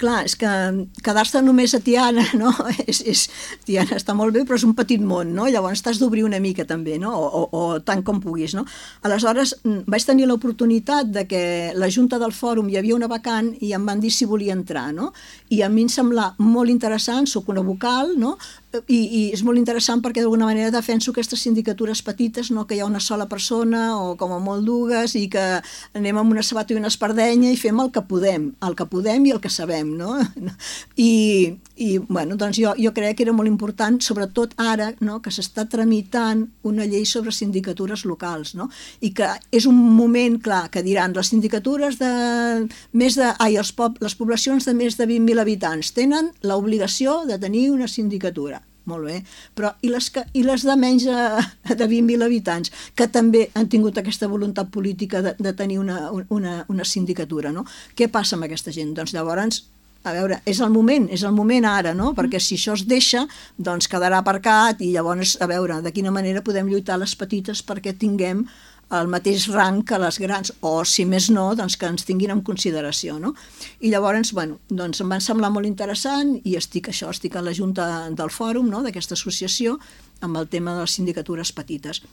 clar, és que quedar-se només a Tiana, no? Tiana està molt bé, però és un petit món, no? Llavors t'has d'obrir una mica també, no? O tant com puguis, no? Aleshores, vaig tenir l'oportunitat de que la Junta del Fòrum hi havia una vacant i em van dir si volia entrar, no? I a mi em sembla molt interessant, soc una vocal, no? I és molt interessant perquè d'alguna manera defenso aquestes sindicatures petites, no? Que hi ha una sola persona o com a molt dues i que anem amb una sabata i una espardenya i fem el que podem i el que sabem, no? I bueno, doncs jo crec que era molt important, sobretot ara, no? Que s'està tramitant una llei sobre sindicatures locals, no? I que és un moment, clar, que diran les sindicatures les poblacions de més de 20.000 habitants tenen l'obligació de tenir una sindicatura. Molt bé, però i les de menys de 20.000 habitants, que també han tingut aquesta voluntat política de tenir una sindicatura, no? Què passa amb aquesta gent? Doncs llavors, a veure, és el moment ara, no? Perquè si això es deixa, doncs quedarà aparcat i llavors, a veure, de quina manera podem lluitar les petites perquè tinguem el mateix rang que les grans, o si més no, doncs que ens tinguin en consideració, no? I llavors, bueno, doncs em va semblar molt interessant i estic a la Junta del Fòrum, no?, d'aquesta associació, amb el tema de les sindicatures petites.